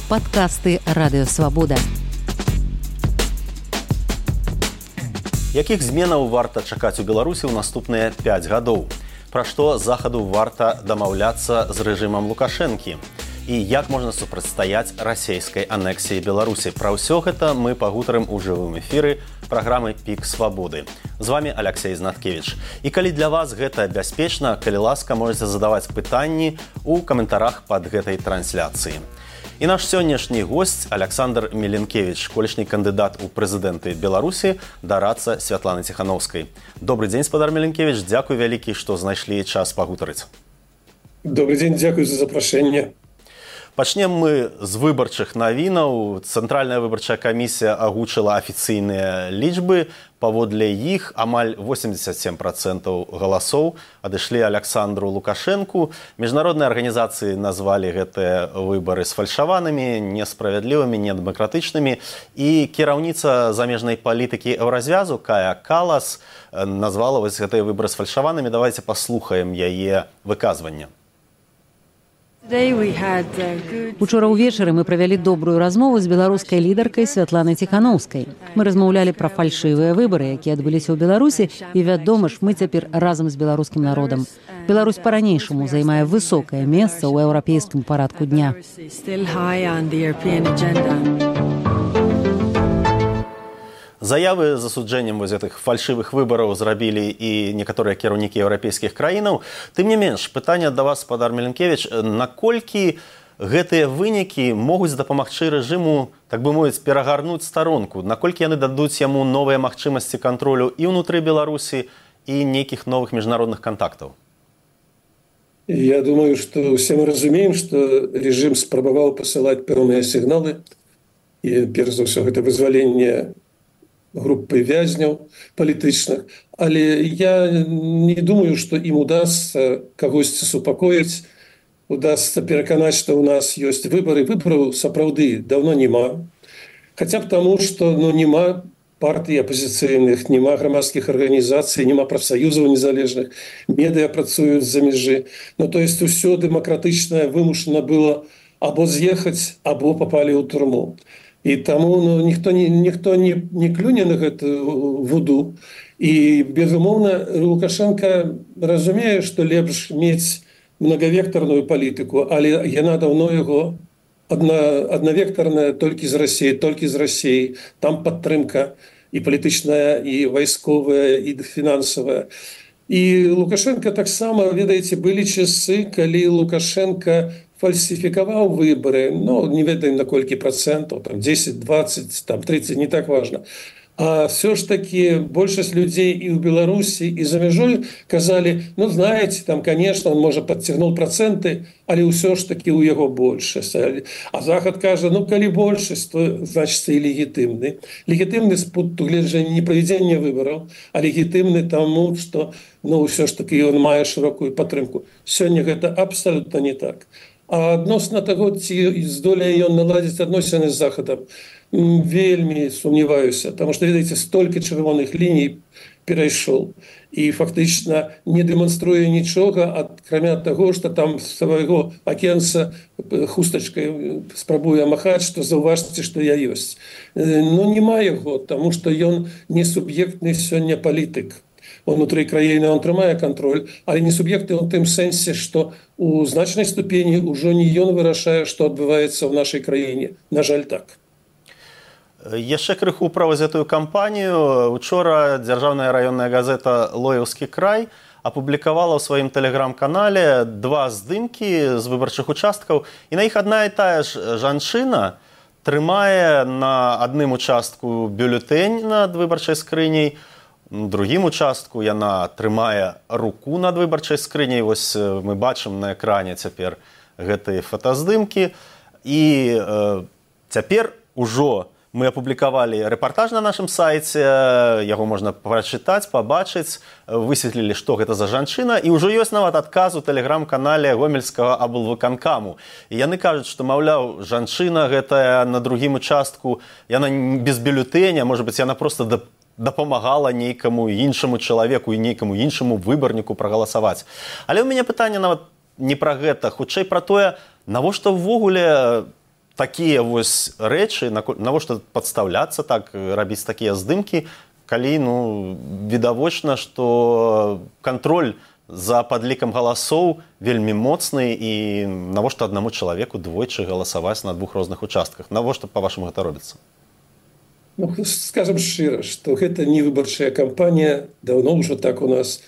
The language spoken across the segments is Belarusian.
Падкасты Радыё Свабода. Якіх зменаў варта чакаць у Беларусі ў наступныя 5 гадоў? Пра што захаду варта дамаўляцца з рэжымам Лукашэнкі? І як можна супрацьстаяць расейскай анексіі Беларусі? Пра ўсё гэта мы пагутарым у жывым эфіры праграмы «Пік свабоды». З вами Алексей Знаткевич. І калі для вас гэта бяспечна, калі ласка, можете задаваць пытанні ў каментарах пад гэтай трансляцыі. І наш сённяшні госць Александр Меленкевич, колішні кандыдат у прэзідэнты Беларусі, дарадца Святланы Ціхановскай. Добрый дзень, спадар Меленкевич, дзякуй вялікі, што знайшлі час пагутарыць. Добрый дзень, дзякуй за запрашэнне. Пачнем мы з выбарчых навінаў. Цэнтральная выбарчая камісія агучыла афіцыйныя лічбы. Паводле іх амаль 87% галасоў адышлі Александру Лукашэнку. Міжнародныя арганізацыі назвалі гэтыя выбары сфальшаванымі, несправядлівымі, недэмакратычнымі. І кіраўніца замежнай палітыкі Еўразвязу Кая Калас назвала вось гэтыя выбары сфальшаванымі. Давайте паслухаем яе выказванне. Учора ўвечары мы правялі добрую размову з беларускай лідаркай Святланай Ціхановскай. Мы размаўлялі пра фальшывыя выбары, якія адбыліся ў Беларусі, і, вядома ж, мы цяпер разам з беларускім народам. Беларусь па-ранейшаму займае высокае месца ў еўрапейскім парадку дня. Заявы з асуджэннем вось гэтых фальшывых выбараў зрабілі і некаторыя кіраўнікі еўрапейскіх краінаў. Тым не менш, пытанне да вас, спадар Меленкевич, наколькі гэтыя вынікі могуць дапамагчы рэжыму, так бы мовіць, перагарнуць старонку? Наколькі яны дадуць яму новыя магчымасці кантролю і ўнутры Беларусі, і нейкіх новых міжнародных кантактаў? Я думаю, што ўсе мы разумеем, што рэжым спрабаваў пасылаць пэўныя сігналы. І, перш за ўсё, гэта вызваленне группы вязняў палітычных, але я не думаю, што ім удасца кагосьці супакоіць, удасца пераканаць, што ў нас ёсць выбары. Выбараў сапраўды даўно няма. Хаця б таму, што няма партый апазіцыйных, няма грамадскіх арганізацый, няма прафсаюзаў незалежных, медыа працуюць за мяжы. То есть усё дэмакратычнае вымушана было або з'ехаць, або папалі ў турму. І таму ніхто не клюне на гэтую вуду. І, безумоўна, Лукашенко разумее, што лепш мець многавектарную палітыку, але яна даўно яго аднавектарная толькі з Расіі. Там падтрымка і палітычная, і вайсковая, і фінансавая. І Лукашенко таксама, ведаеце, былі часы, калі Лукашенко фальсифікаваў выборы, не ведаем на колькі процентаў, 10, 20, 30, не так важно. А все ж таки большасць людзей і ў Беларусі, і за мяжой казалі, знаете, конечно, он, можа, подцягнул проценты, але ўсё ж таки ў яго большасць. А Захад кажа, калі большасць, то, значит, і легітымны. Легітымны з пункту гледжання не правядзення выбораў, а легітымны таму, што, ўсё ж таки ён мае шырокую падтрымку. Сёння гэта абсолютно не так. А адносна таго, ці здолее ён наладзіць адносіны з Захадам, вельмі сумняваюся, потому что, ведаеце, столькі чырвоных ліній перайшоў і фактычна не дэманструе нічога, акрамя таго, што там свайго акенца хустачкай спрабуе махаць, што заўважце, што я ёсць. Нема яго, таму што ён не суб'ектны сёння палітык. Унутры краіны он трымае кантроль, але не суб'екты ў тым сэнсе, што у значнай ступені ўжо не ён вырашае, што адбываецца ў нашай краіне. На жаль, так. Яшчэ крыху пра гэтую кампанію. Учора дзяржаўная раённая газета «Лоеўскі край» апублікавала ў сваім тэлеграм-канале 2 здымкі з выбарчых участкаў. І на іх адна і тая ж жанчына трымае на адным участку бюлетэнь над выбарчай скрыняй, на другім участку яна трымае руку над выбарчай скрыняй. Вось мы бачым на экране цяпер гэтыя фотаздымкі. І цяпер ужо мы апублікавалі рэпартаж на нашым сайце, яго можна прачытаць, пабачыць, высветлілі, што гэта за жанчына, і ўжо ёсць нават адказ у тэлеграм-канале гомельскага аблвыканкаму. І яны кажуць, што, маўляў, жанчына гэтая на другім участку, яна без бюлетэня, можа быць, яна проста дапамагала нейкаму іншаму чалавеку і нейкаму іншаму выбарніку прагаласаваць. Але ў мяне пытанне нават не пра гэта, хутчэй пра тое, навошта ўвогуле такія вось рэчы, навошта падстаўляцца так, рабіць такія здымкі, калі відавочна, што кантроль за падлікам галасоў вельмі моцны і навошта аднаму чалавеку двойчы галасаваць на двух розных участках? Навошта, па-вашаму, гэта робіцца? Скажем шчыра, што гэта не выбарчая кампанія, даўно ўжо так у нас.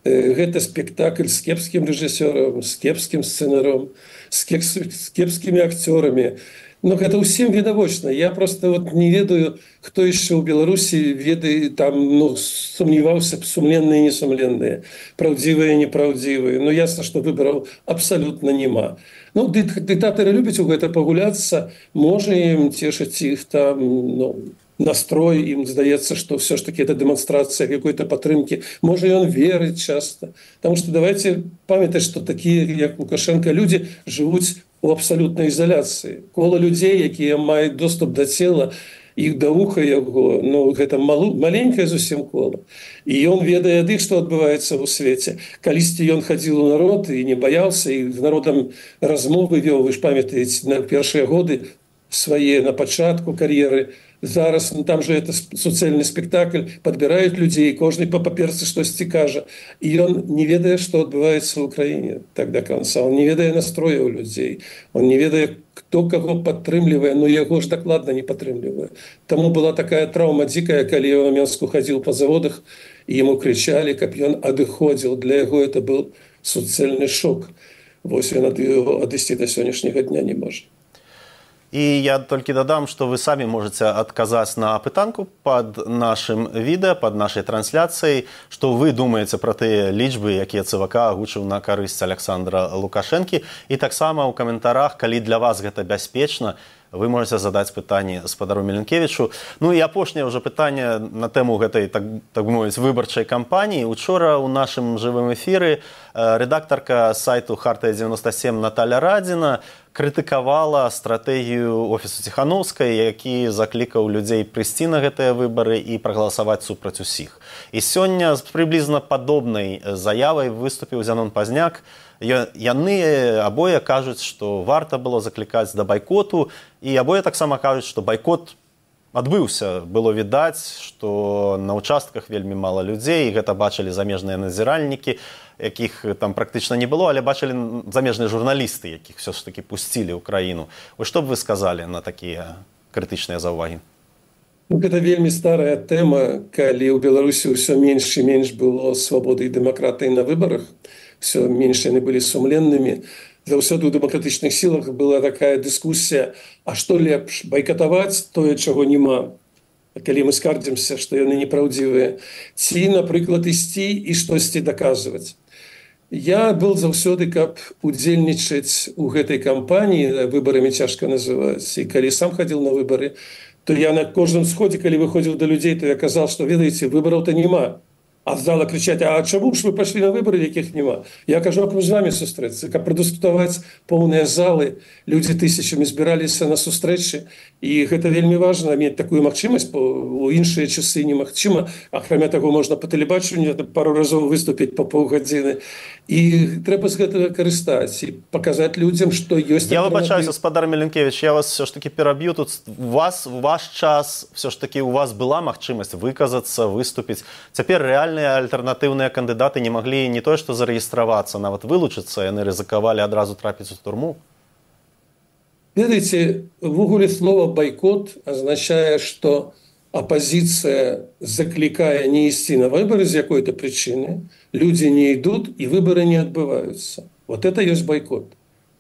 Гэта спектакль з кепскім рэжысёрам, з кепскім сцэнаром, з кепскімі акцёрамі. Но гэта ўсім відавочна. Я просто не ведаю, хто яшчэ ў Беларусі ведае, там сумняваўся б сумленныя і несумленныя, праўдзівыя і непраўдзівыя. Ясна, што выбараў абсалютна няма. Дыктатары любяць у гэта пагуляцца, можа ім цешыць іх там настрой, ім здаецца, што ўсё ж такі это дэманстрацыя какой-то падтрымкі. Можа, ён верыць часта. Таму што давайте памятаць, што такія, як Лукашенко, людзі жывуць у абсалютнай ізаляцыі. Кола людзей, якія маюць доступ да цела, іх да вуха яго, гэта маленькае зусім кола. І ён ведае ад іх, што адбываецца ў свеце. Калісьці ён хадзіў у народ і не баяўся, і з народам размовы вёў, вы ж памятаеце, на першыя годы свае на пачатку кар'еры. Зараз там же это суцэльны спектакль, падбіраюць людзей, кожны па паперцы штосьці кажа. І ён не ведае, што адбываецца ў краіне так да канца. Он не ведае настрояў людзей. Он не ведае, хто каго падтрымлівае, но яго ж дакладна не падтрымлівае. Таму была такая траўма дзікая, калі ён у Менску хадзіў па заводах, і яму крычалі, каб ён адыходзіў. Для яго это быў суцэльны шок. Вось ён ад яго адысці да сённяшняга дня не можа. І я толькі дадам, што вы самі можаце адказаць на пытанку пад нашым відэа, пад нашай трансляцыяй, што вы думаеце пра тыя лічбы, якія ЦВК агучыў на карысць Александра Лукашэнкі. І таксама ў каментарах, калі для вас гэта бяспечна, вы можаце задаць пытанне спадару Меленкевічу. І апошняе ўжо пытанне на тэму гэтай, так мовіць, выбарчай кампаніі. Учора ў нашым жывым эфіры рэдактарка сайту «Хартыя-97» Наталя Радзіна крытыкавала стратэгію офісу Ціханаўскай, які заклікаў людзей прыйсці на гэтыя выбары і прагаласаваць супраць усіх. І сёння з прыблізна падобнай заявай выступіў Зянон Пазняк. Яны абое кажуць, што варта было заклікаць да байкоту, і абое таксама кажуць, што байкот адбыўся. Было відаць, што на участках вельмі мала людзей, і гэта бачылі замежныя назіральнікі, якіх там практычна не было, але бачылі замежныя журналісты, якіх все ж таки пусцілі ў краіну. Што б вы сказалі на такія крытычныя заўвагі? Гэта вельмі старая тэма, калі ў Беларусі ўсё менш і менш было свабоды і дэмакратыі на выбарах, все менш яны былі сумленнымі. Заўсёды ў дэмакратычных сілах была такая дыскусія, а што лепш, байкатаваць тое, чаго няма, калі мы скардзімся, што яны непраўдзівыя, ці, напрыклад, ісці і штосьці даказваць. Я был заўсёды, каб удзельнічаць у гэтай кампаніі, выбарамі цяжка называць, і калі сам хадзіў на выбары, то я на кожным сходзе, калі выходзіў да людзей, то я казаў, што, ведаеце, выбараў-то няма. А зала кричаць, а чаму ж вы пашлі на выбары, якіх няма? Я кажу, а з вами сустрэцца, каб прадыскутаваць поўныя залы, людзі тысячамі збіраліся на сустрэчы, і гэта вельмі важна, мець такую магчымасць, у іншыя часы немагчыма, акрамя таго можна па тэлебачанню пару разоў выступіць па паўгадзіны, і трэба з гэтага карыстаць і паказаць людзям, што ёсць... Я выбачаюся, спадар Меленкевич, я вас все ж таки пераб'ю, тут ваш час, все ж таки у вас была магчымасць выказацца, выступіць, цяпер рэальныя альтэрнатыўныя кандыдаты не маглі не тое, што зарэгістравацца, нават вылучыцца, яны рызыкавалі адразу трапіць у турму. Ведаеце, увогуле слова «байкот» означае, што апозіцыя заклікае не ісці на выборы з якой-то причины, люди не идут и выборы не отбываются. Вот это есть бойкот.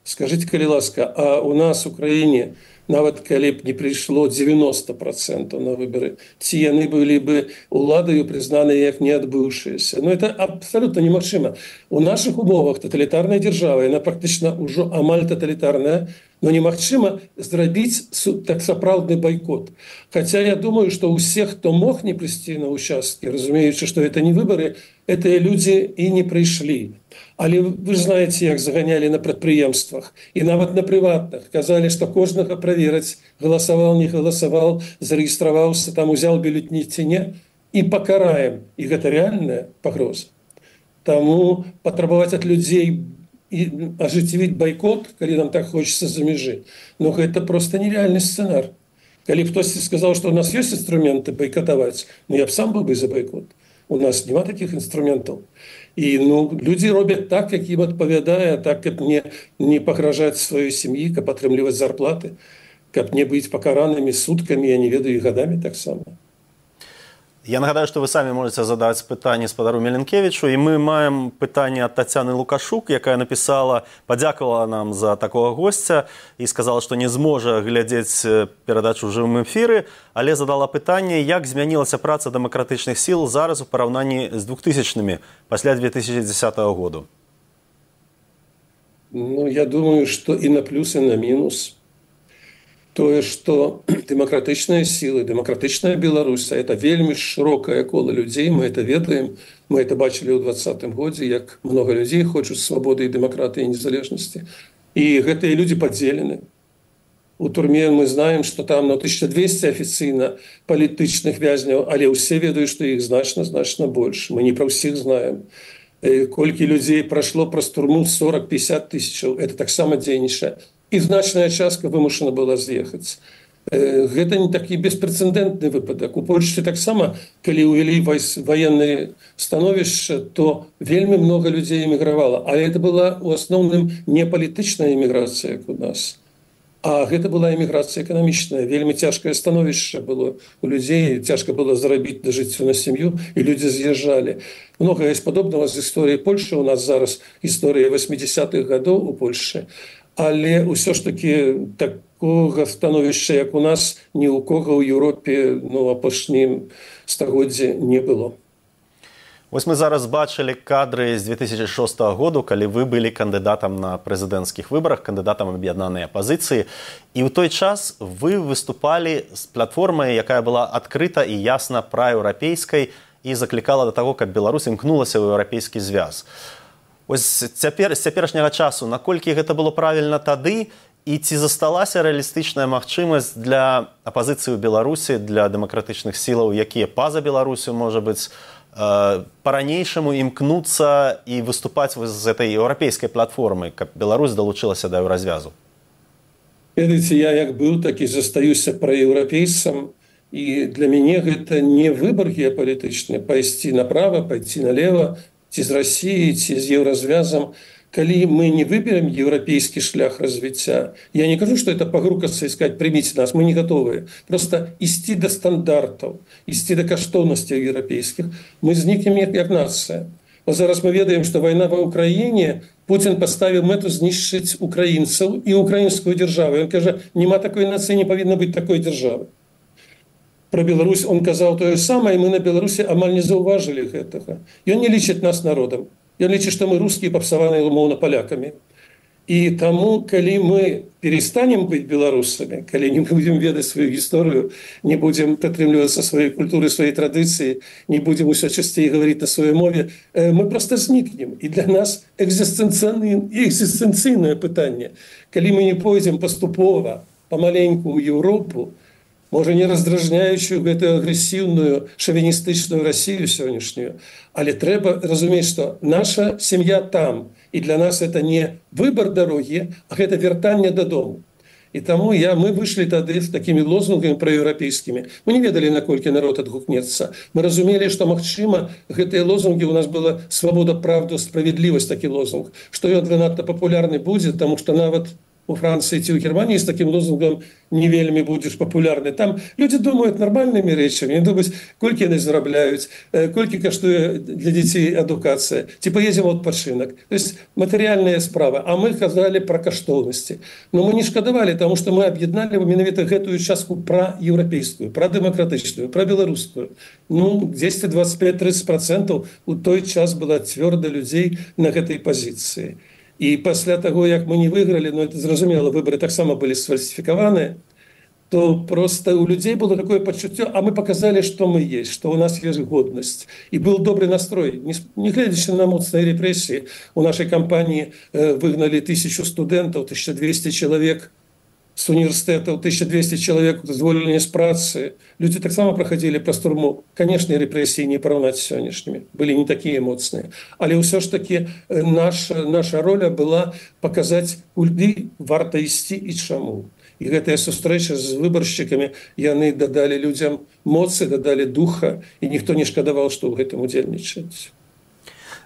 Скажите, калі ласка, а у нас в Украине, нават калі б не пришло 90% на выборы, ці яны были бы уладою признаны як не отбывшиеся. Но это абсолютно немагчыма. У наших умовах тоталитарная держава, она практично уже амаль тоталитарная, но немагчыма зрабіць так сапраўдны бойкот. Хотя я думаю, что у всех, кто мог не прийти на участки, разумеючи, что это не выборы, это люди и не пришли. Але вы ж знаете, як заганяли на прадпрыемствах и нават на приватных. Казали, что кожнага проверить, голосовал, не голосовал, зарегистрировался, там узял бюллетень ці не, и покараем. И это реальная погроза. Тому потребовать от людей и ажыццявіць байкот, калі нам так хочется за межы. Но это просто нереальный сценар. Калі хтосьці сказаў, што у нас ёсць інструменты байкатаваць, я б сам быў бы за байкот. У нас няма таких інструментаў. І людзі робяць так, як ім адпавядае, так, каб не пагражаць сваёй сям'і, каб атрымліваць зарплаты, каб не быць пакаранымі суткамі, я не ведаю, і гадамі таксама. Я нагадаю, што вы самі можаце задаць пытанне спадару Меленкевічу, і мы маем пытанне ад Тацяны Лукашук, якая напісала, падзякавала нам за такога госця і сказала, што не зможа глядзець перадачу ў жывым эфіры, але задала пытанне, як змянілася праца дэмакратычных сіл зараз у параўнанні з 2000-мі, пасля 2010 году. Я думаю, што і на плюс, і на мінус. Тое, што дэмакратычныя сілы, дэмакратычная Беларусь, это вельмі шырокае кола людзей, мы это ведаем, мы это бачылі ў 2020 годзе, як много людзей хочуць свабоды і дэмакратыі і незалежнасці. І гэтыя людзі падзелены. У турме мы знаем, што там 1200 афіцыйна палітычных вязняў, але ўсе ведаюць, што іх значна больш. Мы не пра ўсіх знаем. Колькі людзей прайшло праз турму 40-50 тысячаў, это таксама дзейнічае. І значная частка вымушана была з'ехаць. Гэта не такі беспрэцэдэнтны выпадак. У Польшчы таксама, калі ўвялі ваеннае становішча, то вельмі много людзей эмігравала. Але это была ў асноўным не палітычная эміграцыя, як у нас. А гэта была эміграцыя эканамічная. Вельмі цяжкае становішча было у людзей, цяжка было зарабіць да жыццю на сям'ю, і людзі з'язджалі. Многае з падобнага з гісторыі Польшчы. У нас зараз гісторыя 80-х гадоў у Польшчы. Але ўсё ж таки такога становішча, як у нас, ні ў кога ў Еўропе апошнім стагоддзі не было. Вось мы зараз бачылі кадры з 2006 году, калі вы былі кандыдатам на прэзідэнцкіх выбарах, кандыдатам аб'яднанай апазіцыі. І ў той час вы выступалі з платформай, якая была адкрыта і ясна праеўрапейскай і заклікала да таго, каб Беларусь імкнулася ў еўрапейскі звяз. Ось цяпер, з цяперашняга часу, наколькі гэта было правільна тады, і ці засталася рэалістычная магчымасць для апазіцыі ў Беларусі, для дэмакратычных сілаў, якія па-за Беларусю, можа быць, па-ранейшаму імкнуцца і выступаць з этой еўрапейскай платформы, каб Беларусь далучылася да еўразвязу? Ведаеце, я як быў, так і застаюся праеўрапейцам, і для мяне гэта не выбар геапалітычны, пайсці направа, пайсці налева, ці з Расіі, ці з еўразвязам. Калі мы не выберем еўрапейскі шлях развіцця, я не кажу, што это пагрукацца і сказаць, прыміце нас, мы не готовыя. Просто ісці да стандартаў, ісці да каштоўнасцяў еўрапейскіх, мы знікнем як нацыя. Зараз мы ведаем, што вайна ва Ўкраіне, Путін паставіў мэту знішчыць украінцаў і украінскую дзяржаву. Ён кажа, няма такой нацыі, не павінна быць такой дзяржавы. Про Беларусь он казаў тое самае, і мы на Беларусі амаль не заўважылі гэтага. Ён не лічыць нас народам. Ён лічыць, што мы рускія папсаваныя умоўна палякамі. І таму, калі мы перестанем быць беларусамі, калі не будзем ведаць сваю гісторыю, не будзем прытрымлівацца сваёй культуры, сваёй традыцыі, не будзем усё часцей гаварыць на сваёй мове, мы проста знікнем. І для нас экзістэнцыйнае пытанне. Калі мы не пойдзем паступова, памаленьку ў Еўропу, можа, не раздражняючую гэтую агрэсіўную шавіністычную Расію сённяшнюю, але трэба разумець, што наша сям'я там, і для нас это не выбар дарогі, а гэта вяртанне дадому. І таму мы выйшлі тады з такімі лозунгамі праеўрапейскімі. Мы не ведалі, наколькі народ адгукнецца. Мы разумелі, што, магчыма, гэтыя лозунгі у нас была свабода, правда, справядлівасць, такі лозунг, што ён надта папулярны будзе, таму што нават у Францыі ці ў Германіі з такім лозунгам не вельмі будзеш папулярны. Там людзі думаюць нармальнымі рэчамі, не думаюць, колькі яны зарабляюць, колькі каштуе для дзяцей адукацыя, ці паедзем у адпачынак. То есть матэрыяльная справа. А мы казалі пра каштоўнасці. Но мы не шкадавалі, таму што мы аб'ядналі менавіта гэтую частку пра еўрапейскую, пра дэмакратычную, пра беларускую. 10-25-30% у той час была цвёрда людзей на гэтай пазіцыі. І пасля таго, як мы не выйгралі, это зразумела, выборы таксама былі сфальсіфікаваныя, то просто у людзей было такое пачуццё, а мы показалі, што мы есть, што у нас ёсць годнасць. І быў добры настрой. Не гледзячы на моцныя рэпрэсіі, у нашай кампаніі выгналі 1000 студэнтаў, 1200 чалавек з універсітэтаў 1200 чалавек звольнення з працы. Людзі таксама праходзілі праз турму. Канешне, рэпрэсіі не параўнаць з сённяшнімі, былі не такія моцныя. Але ўсё ж такі наша роля была паказаць, куды варта ісці і чаму. І гэтая сустрэча з выбаршчыкамі, яны дадалі людзям моцы, дадалі духа, і ніхто не шкадаваў, што ў гэтым удзельнічаць.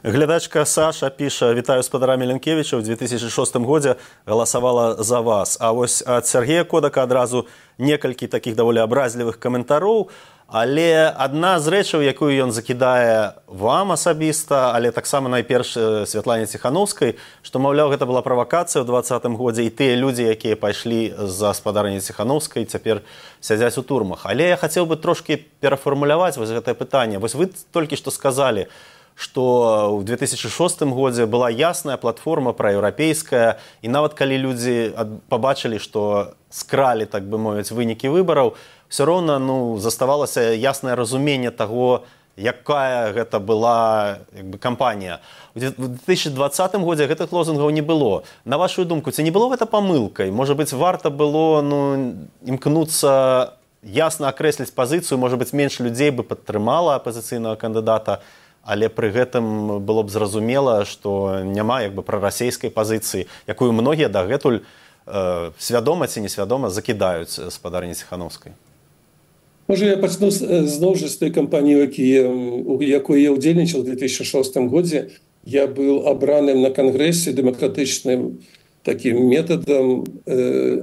Глядачка Саша піша: «Вітаю спадара Міленкевіча, ў 2006 годзе галасавала за вас». А вось ад Сергея Кодака адразу некалькі такіх даволі абразлівых каментароў. Але адна з рэчаў, якую ён закідае вам асабіста, але таксама найперш Святлане Ціханаўскай, што, маўляў, гэта была правакацыя ў 2020 годзе, і тыя людзі, якія пайшлі за спадарні Ціханаўскай, цяпер сядзяць у турмах. Але я хацеў бы трошкі перафармуляваць вось гэтае пытанне. Вось вы толькі што сказалі, што ў 2006 годзе была ясная платформа праеўрапейская, і нават калі людзі пабачылі, што скралі, так бы мовіць, вынікі выбараў, все роўна заставалася яснае разуменне таго, якая гэта была кампанія. У 2020 годзе гэтых лозунгаў не было. На вашу думку, ці не было гэта памылкай? Можа быць, варта было імкнуцца ясна акрэсліць пазіцыю, можа быць, менш людзей бы падтрымала апазіцыйнага кандыдата, але пры гэтым было б зразумела, што няма прарасейскай пазіцыі, якую многія дагэтуль свядома ці несвядома закідаюць спадарні Ціханаўскай. Можа, я пачну зноў жа з той кампаніі, у якой я ўдзельнічаў у 2006 годзе. Я быў абраным на кангрэсе дэмакратычным такім метадам,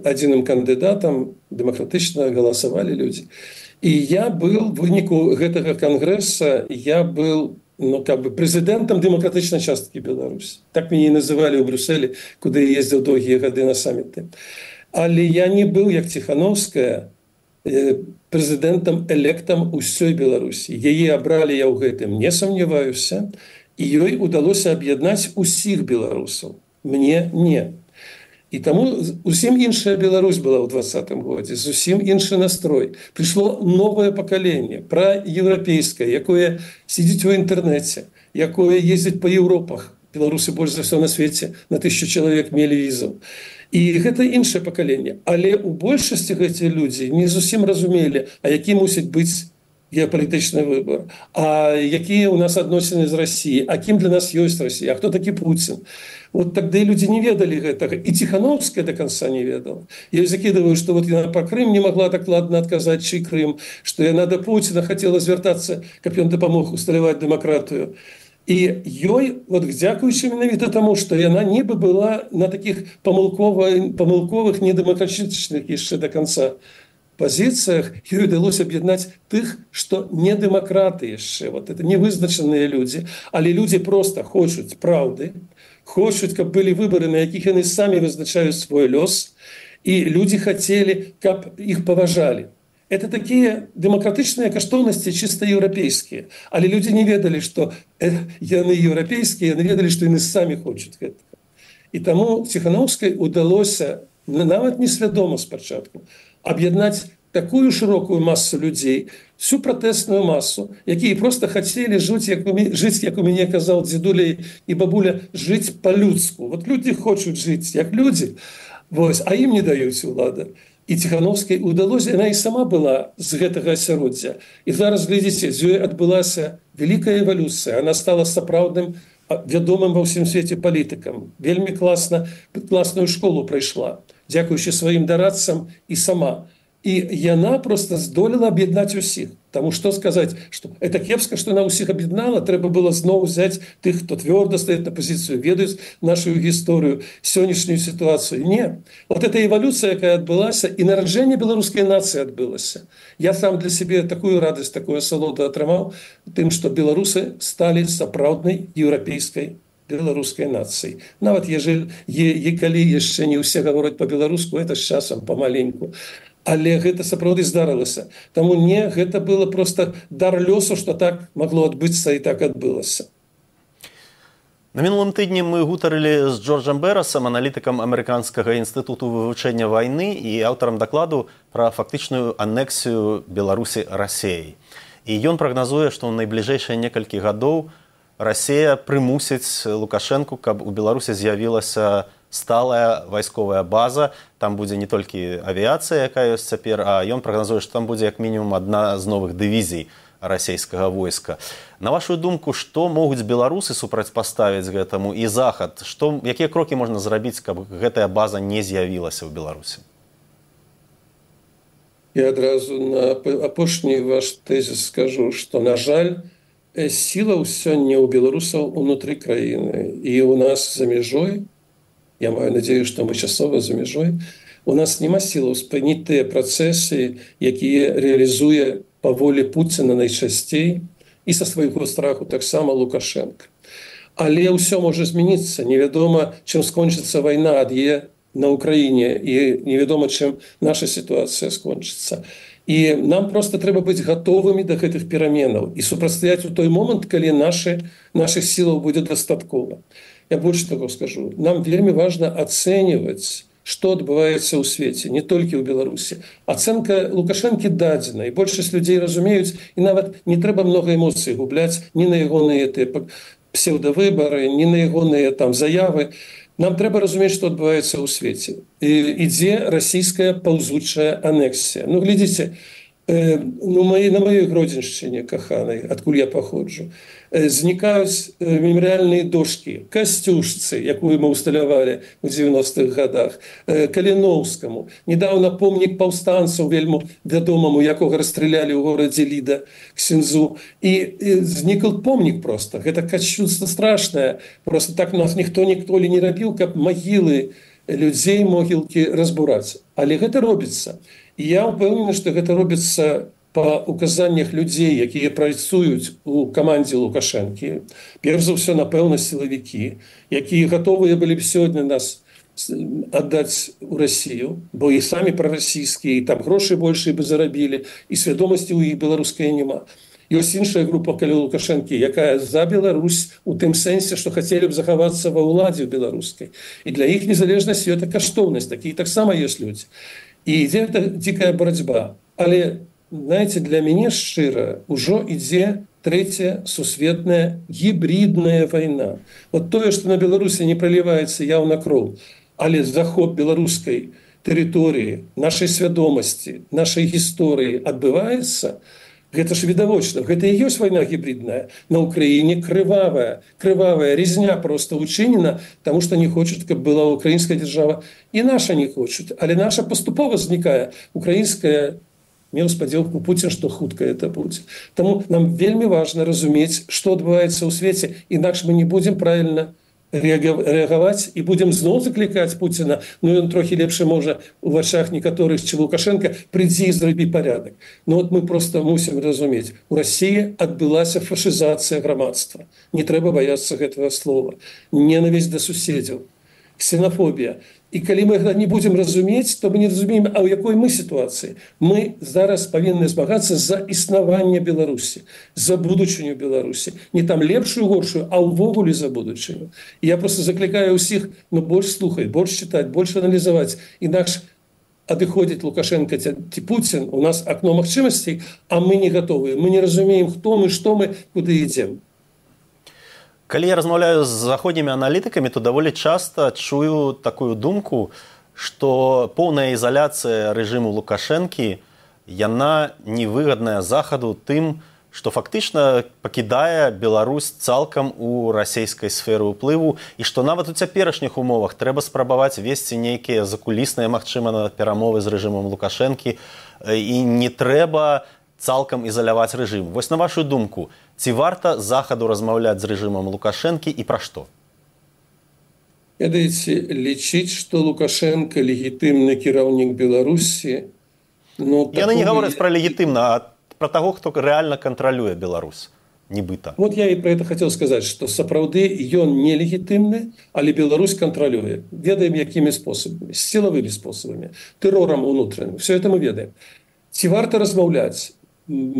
адзіным кандыдатам, дэмакратычна галасавалі людзі. І я быў, в выніку гэтага кангрэса, я быў прэзідэнтам дэмакратычнай часткі Беларусі. Так мяне і называлі ў Брюсселі, куды я ездзіў доўгія гады на саміты. Але я не быў, як Ціханаўская, прэзідэнтам-электам усёй Беларусі. Яе абралі, я ў гэтым не сумняваюся, і ёй удалося аб'яднаць усіх беларусаў. Мне не. І таму зусім іншая Беларусь была ў 2020 годзе, зусім іншы настрой. Прыйшло новае пакаленне, праеўрапейскае, якое сидзіць у інтэрнэце, якое ездзіць па Еўропах. Беларусы больш за ўсё на свеце, на 1000 чалавек мелі візаў. І гэта іншае пакаленне. Але ў большасці гэтыя людзі не зусім разумелі, а які мусіць быць геапалітычны выбор, а якія ў нас адносіны з Расіяй, а кім для нас ёсць Расія, а хто такі Пуцін. Вот тогда и люди не ведали гэтага. И Тихановская до конца не ведала. Я закидываю, что вот она про Крым не могла так ладно отказать, чей Крым, что она до Путина хотела звертаться, как он допомог усталевать демократию. И ёй, вот дзякуючи менавіта тому, что она не была на таких помылковых, недемократичных еще до конца позициях, ёй удалось объединять тых, что не демократы еще. Вот это невызначенные люди, але люди просто хочут правды, хочуць, каб былі выбары, на якіх яны самі вызначаюць свой лёс, і людзі хацелі, каб іх паважалі. Это такія дэмакратычныя каштоўнасці чыста еўрапейскія. Але людзі не ведалі, што яны еўрапейскія, яны ведалі, што яны самі хочуць гэтага. І таму Ціханаўскай удалося, нават несвядома спачатку, аб'яднаць такую шырокую масу людзей, всю пратэсную масу, якія просто хацелі жыць, як у мяне казаў дзедуля і бабуля, жыць па-людску. Вот людзі хочуць жыць як людзі, а ім не даюць улада. І Ціханаўскай удалося, яна і сама была з гэтага асяроддзя. І зараз, глядзіце, з ёй адбылася вялікая эвалюцыя. Она стала сапраўдным, вядомым ва ўсім свеце палітыкам. Вельмі класную школу прайшла, дзякуючы сваім дарадцам і сама. І яна просто здолела аб'яднаць усіх. Таму што сказаць, што это кепска, што яна ўсіх аб'яднала, трэба было зноў взяць тых, хто твёрда стаіць на пазіцыю, ведаюць нашу гісторыю, сённяшнюю сітуацыю. Не. Вот эта эвалюцыя, якая адбылася, і нараджэнне беларускай нацыі адбылася. Я сам для сябе такую радасць, такую асалоду атрымаў тым, што беларусы сталі сапраўднай еўрапейскай беларускай нацыі. Нават калі яшчэ не ўсе гавораць па-беларуску, это з часам памаленьку. Але гэта сапраўды здарылася. Таму не, гэта было просто дар лёсу, што так магло адбыцца і так адбылася. На мінулым тыдні мы гутарылі з Джорджам Берасам, аналітыкам Амерыканскага інстытуту вывучэння вайны і аўтарам дакладу пра фактычную анексію Беларусі Расіяй. І ён прагназуе, што ў найбліжэйшыя некалькі гадоў Расія прымусіць Лукашэнку, каб у Беларусі з'явілася сталая вайсковая база, там будзе не толькі авіяцыя, якая ёсць цяпер, а ён прагназуе, што там будзе як мінімум адна з новых дывізій расійскага войска. На вашу думку, што могуць беларусы супрацьпаставіць гэтаму і захад? Якія крокі можна зрабіць, каб гэтая база не з'явілася ў Беларусі? Я адразу на апошні ваш тэзіс скажу, што, на жаль, сіла сёння ў беларусаў унутры краіны. І у нас за мяжой, я маю надзею, што мы часова за мяжой, у нас няма сілаў спыніць тыя працэсы, якія рэалізуе па волі Пуціна найчасцей і са свайго страху таксама Лукашенка. Але ўсё можа змяніцца. Невядома, чым скончыцца вайна ад'е на Украіне, і невядома, чым наша сітуацыя скончыцца. І нам проста трэба быць гатовымі да гэтых пераменаў і супрацьстаяць у той момант, калі нашых сілаў будзе дастаткова. Я больш таго скажу. Нам вельмі важна ацэньваць, што адбываецца ў свеце, не толькі ў Беларусі. Ацэнка Лукашэнкі дадзена, і большасць людзей разумеюць, і нават не трэба многа эмоцый губляць ні на ягоныя псеўдавыбары, ні на ягоныя заявы. Нам трэба разумець, што адбываецца ў свеце. Ідзе расійская паўзучая анексія. Глядзіце, на маёй Гродзеншчыне каханай, адкуль я паходжу, знікаюць мемарыяльныя дошкі Касцюшцы, якую мы ўсталявалі ў 90-х гадах, Каліноўскаму. Недаўна помнік паўстанцаў вельмі вядомаму, якога расстралялі ў горадзе Ліда, ксяндзу. І знікл помнік проста. Гэта кашчуцтва страшнае. Просто так нас ніхто ніколі не рабіў, каб магілы людзей, могілкі разбураць. Але гэта робіцца. І я ўпэўнены, што гэта робіцца па указаннях людзей, якія працуюць у камандзе Лукашэнкі. Перш за ўсё, напэўна, сілавікі, якія гатовыя былі б сёння нас аддаць у Расію, бо і самі прарасійскія, і там грошы большыя бы зарабілі, і свядомасці ў іх беларускай няма. Ёсць іншая група каля Лукашэнкі, якая за Беларусь у тым сэнсе, што хацелі б захавацца ва ўладзе беларускай. І для іх незалежнасць – гэта каштоўнасць. Такія таксама ёсць людзі. І ідзе дзікая барацьба. Але, знаеце, для мяне шчыра ўжо ідзе трэцяя сусветная гібридная вайна. Вот тое, што на Беларусі не проліваецца яўна кроў, але захоп беларускай тэрыторыі, нашай свядомасці, нашай гісторыі адбываецца, гэта ж відавочна. Гэта і ёсць вайна гібридная. На Украіне крывавая резня просто учынена, таму што не хочуць, каб была украінская дзяржава. І наша не хочуць. Але наша паступова знікае. Украінская, меў спадзелку Пуцін, што хутка это будзе. Таму нам вельмі важна разумець, што адбываецца ў свеце, інакш мы не будзем правільна рэагаваць і будзем зноў заклікаць Пуціна, ён трохі лепш можа у вачах некаторых, чым Лукашенка, прыйдзі і зрабі парядак. Вот мы просто мусім разумець, у Расіі адбылася фашызацыя грамадства. Не трэба баяцца гэтага слова. Ненавісць да суседзяў, ксенафобія. І калі мы гэта не будзем разумець, то мы не разумеем, а ў якой мы сітуацыі. Мы зараз павінны змагацца за існаванне Беларусі, за будучыню Беларусі. Не там лепшую, горшую, а ўвогуле за будучыню. І я просто заклікаю ўсіх, больш слухаць, больш чытаць, больш аналізаваць. Інакш адыходзіць Лукашенко ці Пуцін, у нас акно магчымасцей, а мы не гатовыя. Мы не разумеем, хто мы, што мы, куды ідзем. Калі я размаўляю з заходнімі аналітыкамі, то даволі часта чую такую думку, што поўная ізаляцыя рэжыму Лукашэнкі, яна невыгадная захаду тым, што фактычна пакідае Беларусь цалкам у расійскай сферы ўплыву, і што нават у цяперашніх умовах трэба спрабаваць весці нейкія закулісныя, магчыма, перамовы з рэжымам Лукашэнкі, і не трэба цалкам ізаляваць рэжым. Вось на вашу думку, ці варта захаду размаўляць з рэжымам Лукашэнкі і пра што? Ведаеце, лічыць, што Лукашенко легітымны кіраўнік Беларусі... Яны не гавораць пра легітымна, а пра таго, хто рэальна кантралюе Беларусь, нібыта. Вот я і пра гэта хацеў сказаць, што сапраўды ён не легітымны, але Беларусь кантралюе. Ведаем, якімі спосабамі, сілавымі спосабамі, тэрорам унутраным. Все это мы ведаем. Ці варта размаўляць?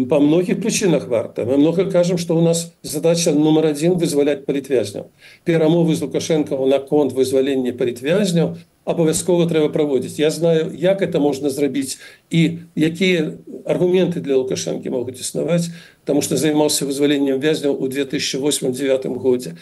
По многих причинах варта. Мы много кажем, что у нас задача номер 1 вызволять палітвязняў. Перамовы з Лукашенко наконт вызвалення палітвязняў абавязкова трэба праводзіць. Я знаю, як это можна зрабіць і якія аргументы для Лукашенкі могуць існаваць, таму што займаўся вызваленнем вязняў у 2008-2009 годзе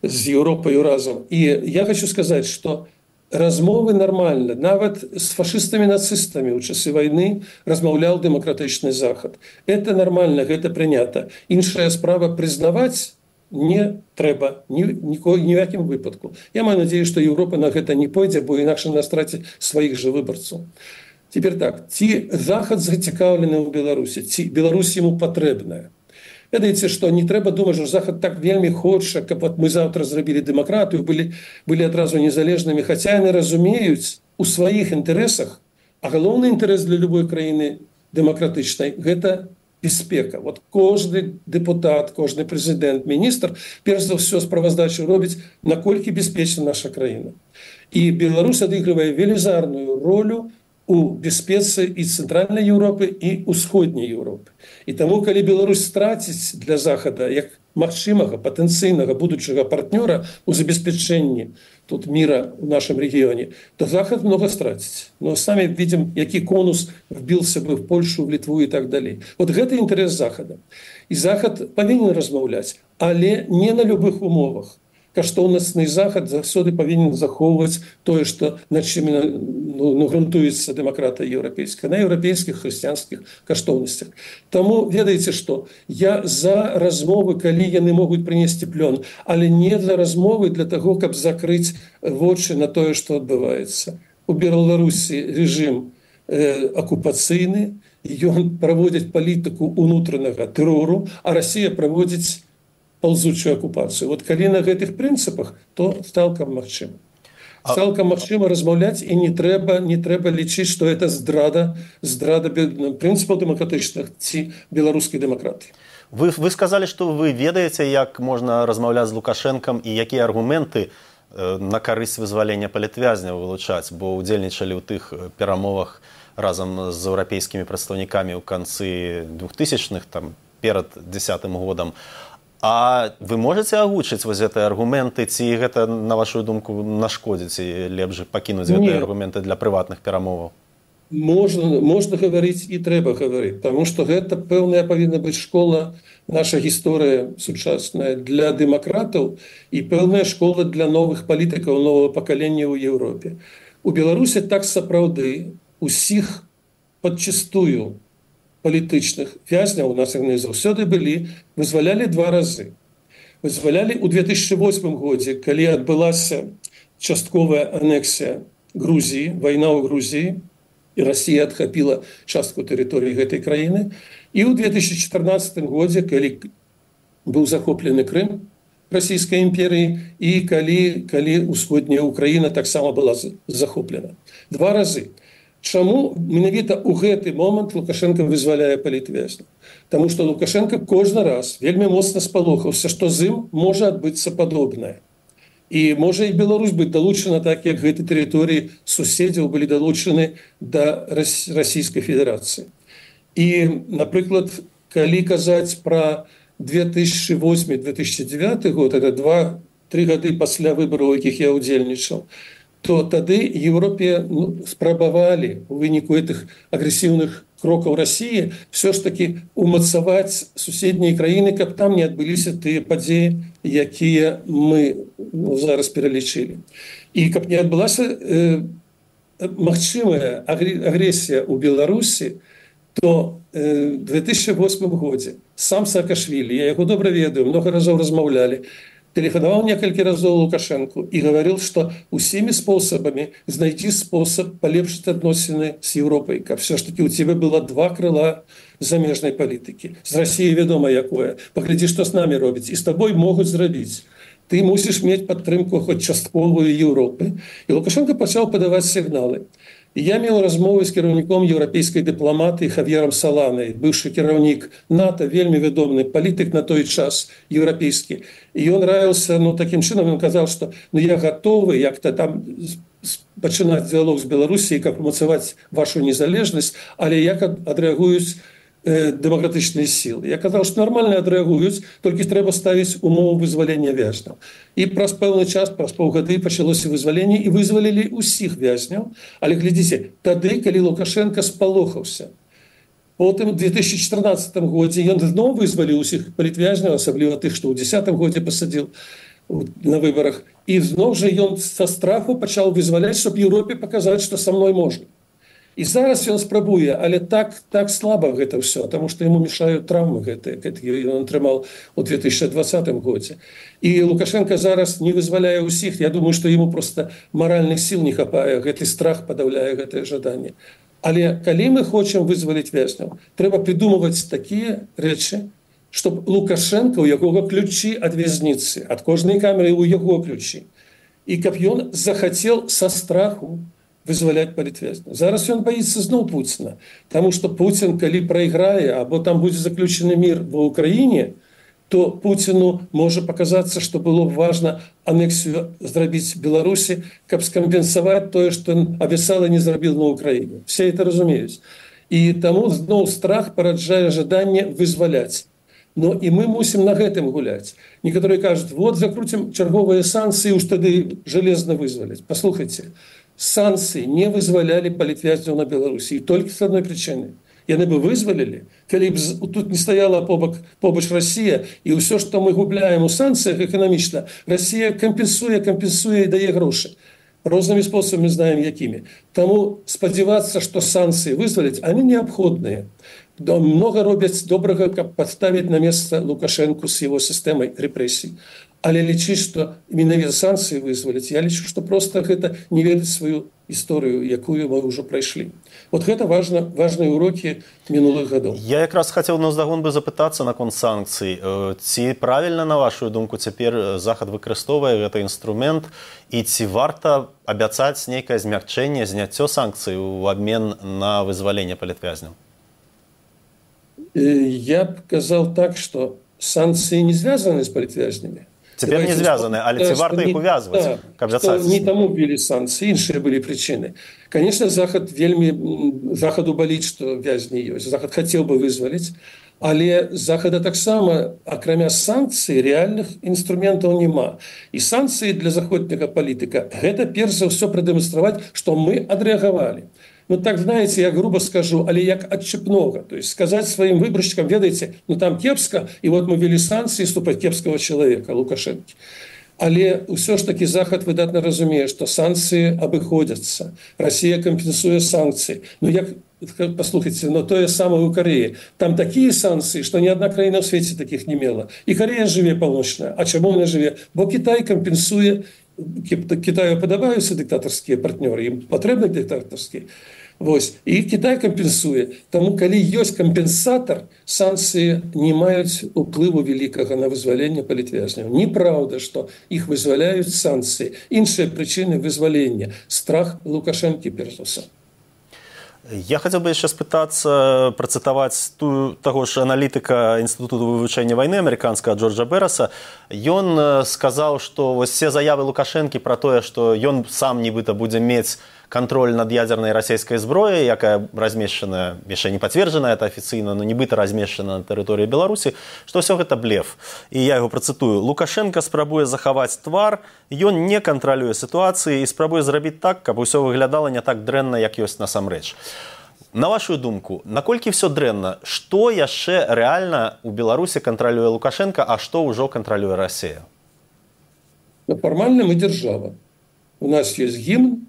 з Еўропай разам. І я хочу сказаць, што размовы нармальна. Нават з фашыстамі-нацыстамі ў часы вайны размаўляў дэмакратычны захад. Это нармальна, гэта прынята. Іншая справа прызнаваць не трэба ні ў якім выпадку. Я маю надзею, што Еўропа на гэта не пойдзе, бо інакш яна страціць сваіх жа выбарцаў. Цяпер так, ці захад зацікаўлены ў Беларусі, ці Беларусь яму патрэбная. Ведаеце, што не трэба думаць, што захад так вельмі хоча, каб мы заўтра зрабілі дэмакратыю, былі адразу незалежнымі, хаця яны разумеюць у сваіх інтарэсах, а галоўны інтарэс для любой краіны дэмакратычнай гэта бяспека. Вот кожны дэпутат, кожны прэзідэнт, міністр перш за ўсё справаздачу робіць, наколькі бяспечна наша краіна. І Беларусь адыгрывае велізарную ролю у бяспецы і цэнтральнай Еўропы і ўсходняй Еўропы. І таму, калі Беларусь страціць для захада як магчымага патэнцыйнага будучага партнёра ў забеспячэнні тут мира в нашем регионе, то захад много страціць. Но самі видим, які конус вбился бы в Польшу, в Литву и так далее. Вот гэта інтарэс захада. І захад павінен размаўляць, але не на любых умовах. Каштоўнасны захад заўсёды павінен захоўваць тое, што на чым грунтуецца дэмакратыя еўрапейская, на еўрапейскіх хрысціянскіх каштоўнасцях. Таму ведаеце што, я за размовы, калі яны могуць прынесці плён, але не для размовы для таго, каб закрыць вочы на тое, што адбываецца. У Беларусі рэжым акупацыйны, ён праводзіць палітыку ўнутранага тэрору, а Расія праводзіць ползучую оккупацию. Вот калі на гэтых прынцыпах, то цалкам магчыма. Цалкам магчыма размаўляць, і не трэба лічыць, што это здрада прынцыпаў дэмакратычных ці беларускай дэмакратыі. Вы сказалі, што вы ведаеце, як можна размаўляць з Лукашэнкам і якія аргументы на карысць вызвалення палітвязняў вылучаць, бо ўдзельнічалі ў тых перамовах разам з еўрапейскімі прадстаўнікамі ў канцы 2000-х, там, перад 10-м годам. А вы можете агучыць вось гэтыя аргументы, ці гэта, на вашу думку, нашкодзіць, і лепш пакінуць гэтыя аргументы для прыватных перамоваў? Можна гаварыць і трэба гаварыць, таму што гэта пэўная павінна быць школа, наша гісторыя сучасная для дэмакратаў і пэўная школа для новых палітыкаў, новага пакалення ў Еўропе. У Беларусі так сапраўды усіх падчыстую палітычных вязняў, у нас яны заўсёды былі, вызвалялі 2 разы. Вызвалялі ў 2008 годзе, калі адбылася частковая анексія Грузіі, вайна ў Грузіі, і Расія адхапіла частку тэрыторыі гэтай краіны, і ў 2014 годзе, калі быў захоплены Крым Расійскай імперіі, і калі усходняя Украіна таксама была захоплена. 2 разы. Чаму менавіта ў гэты момант Лукашенко вызваляе палітвязняў? Таму што Лукашенко кожны раз вельмі моцна спалохаўся, што з ім можа адбыцца падобнае. І можа і Беларусь быць далучана так, як гэтай тэрыторыі суседзяў былі далучаны да Расійскай Федэрацыі. І, напрыклад, калі казаць пра 2008-2009 год, это 2-3 гады пасля выбараў, якіх я ўдзельнічаў, то тады Еўропе спрабавалі у выніку гэтых агрэсіўных крокаў Расіі все ж таки умацаваць суседнія краіны, каб там не адбыліся тыя падзеі, якія мы зараз пералічылі. І каб не адбылася магчымая агрэсія ў Беларусі, то в 2008 годзе сам Саакашвілі, я яго добра ведаю, много разоў размаўлялі, телефоновал несколько разов Лукашенко и говорил, что усими способами знайти способ полепшить отношения с Европой. Как все-таки у тебя было 2 крыла замежной политики. С Россией ведомо якое. Погляди, что с нами робить. И с тобой могут зробить. Ты мусишь иметь подтримку хоть частковую Европы. И Лукашенко начал подавать сигналы. І я меў размову з кіраўніком еўрапейскай дыпламатыі Хавьерам Саланай, быўшы кіраўнік НАТО, вельмі вядомы палітык на той час еўрапейскі. І ён раіўся, такім чынам, ён казаў, што я гатовы як-то там пачынаць дыялог з Беларусіяй, каб умацаваць вашу незалежнасць, але як адрэагуюць дэмакратычныя сілы. Я казаў, што нармальна адрэагуюць, толькі трэба ставіць умову вызвалення вязняў. І праз пэўны час, праз паўгады пачалося вызваленне, і вызвалілі ўсіх вязняў. Але глядзіце, тады, калі Лукашенко спалохаўся. Потым у 2014 годзе ён зноў вызваліў усіх палітвязняў, асабліва тых, што ў 2010 годзе пасадзіў. на выборах. И зноў же ён со страху пачаў вызваляць, чтобы Европе показать, что со мной можно. И зараз ён спрабуе, але так слабо гэта все, потому что ему мешают травмы гэтыя он атрымаў у 2020 годзе. И Лукашенко зараз не вызваляе ўсіх. Я думаю, что ему просто моральных сил не хапае, гэты страх подавляе гэтае жаданне. Але калі мы хочам вызваліць вязняў, трэба придумываць такія рэчы, чтобы Лукашенко, у якога ключи от вязницы, от кожнай камеры у яго ключи, и каб ён захотел со страху вызваляць палітвязняў. Зараз ён боится зноў Путина, потому что Путин, калі проиграе, або там будет заключены мир в Украине, то Путину может показаться, что было важно аннексию зрабіць Беларуси, каб скомпенсовать то, что он обещал и не зрабіў на Украине. Все это разумеюць. И тому зноў страх параджае жаданне вызваляць. Но и мы мусим на гэтым гуляць. Некоторые кажут, вот закрутим черговые санкции, уж тады железно вызвалять. Послухайте, санкции не вызволяли палітвязняў на Беларуси. И только с одной причины. Яны бы вызвалили, калі б тут не стояла побач Россия, и все, что мы губляем у санкциях экономично, Россия компенсуе и дае гроши. Рознымі способами знаем, якими. Тому спадзявацца, что санкции вызвалить, они необходные. Много робяць добрага, каб подставить на место Лукашенко с его системой репрессий. Але лічыць, что менавіта санкции вызвалить, я лічу, что просто гэта не ведаць свою историю, якую мы уже пройшли. Вот гэта важные уроки минулых годов. Я якраз хотел наўздагон бы запытацца наконт санкцый. Ці правильно, на вашу думку, цяпер Захад выкарыстоўвае гэты інструмент, і ці варта абяцаць нейкае змякчэнне, зняццё санкцый у абмен на вызваленне палітвязняў? Я бы сказал так, что санкции не связаны с палітвязнями. Теперь не звязаны, але ці варта их увязывать? Да, не тому ввели санкции, іншыя были причины. Конечно, Заходу болит, что вязни есть. Захад хотел бы вызволить, але Захада таксама, акрамя санкций, реальных инструментов нема. И санкции для заходняга политика – это, перш за все, продемонстрировать, что мы отреагировали. Ну, так, знаете, я грубо скажу, але як отчепного. То есть сказать своим выборщикам, ведаете, ну там кепска, и вот мы ввели санкции ступать кепского человека, Лукашенко. Але все ж таки Захад выдатно разумее, что санкции обыходятся. Россия компенсует санкции. Ну, послухайте, но то же самое у Кореи. Там такие санкции, что ни одна краина в свете таких не имела. И Корея живе полночная. А чему она живе? Бо Китай компенсует. Китаю подобаюцца диктаторские партнеры, им потребны диктаторские. Вось. И Китай компенсуе. Тому, калі ёсць кампенсатор, санкции не маюць уплыву великага на вызваленне палітвязняў. Неправда, что их вызваляют санкции. Іншыя причины вызвалення. Страх Лукашенко, перш за ўсё. Я хотел бы еще спытаться, процитовать того же аналитика Института вывучэння войны американского Джорджа Берроса. Он сказал, что все заявы Лукашенко про то, что он сам нібыта будзе мець контроль над ядерной российской зброей, якая размешчана, яшчэ не пацверджана это афіцыйна, но нібыта размешчана на тэрыторыі Беларусі, что все гэта блеф. И я его процитую. Лукашенко спрабуе захаваць твар, ён не кантралюе сітуацыі і спрабуе зрабіць так, каб усё выглядала не так дрэнна, як ёсць насамрэч. На вашу думку, наколькі все дрэнна, што яшчэ рэальна у Беларусі кантралюе Лукашенко, а што ўжо кантралюе Россия? Формально мы держава. У нас есть гимн,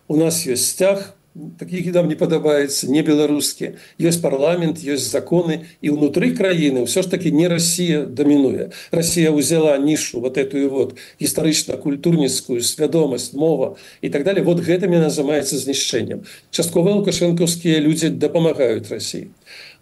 у нас есть стяг, такие нам не подобаются, не белорусские. Есть парламент, есть законы. И внутри краины все ж таки не Россия доминует. Россия взяла нишу, вот эту вот исторично-культурницкую, свядомость, мова и так далее. Вот гэтым и называется знищением. Частково лукашенковские люди допомагают России.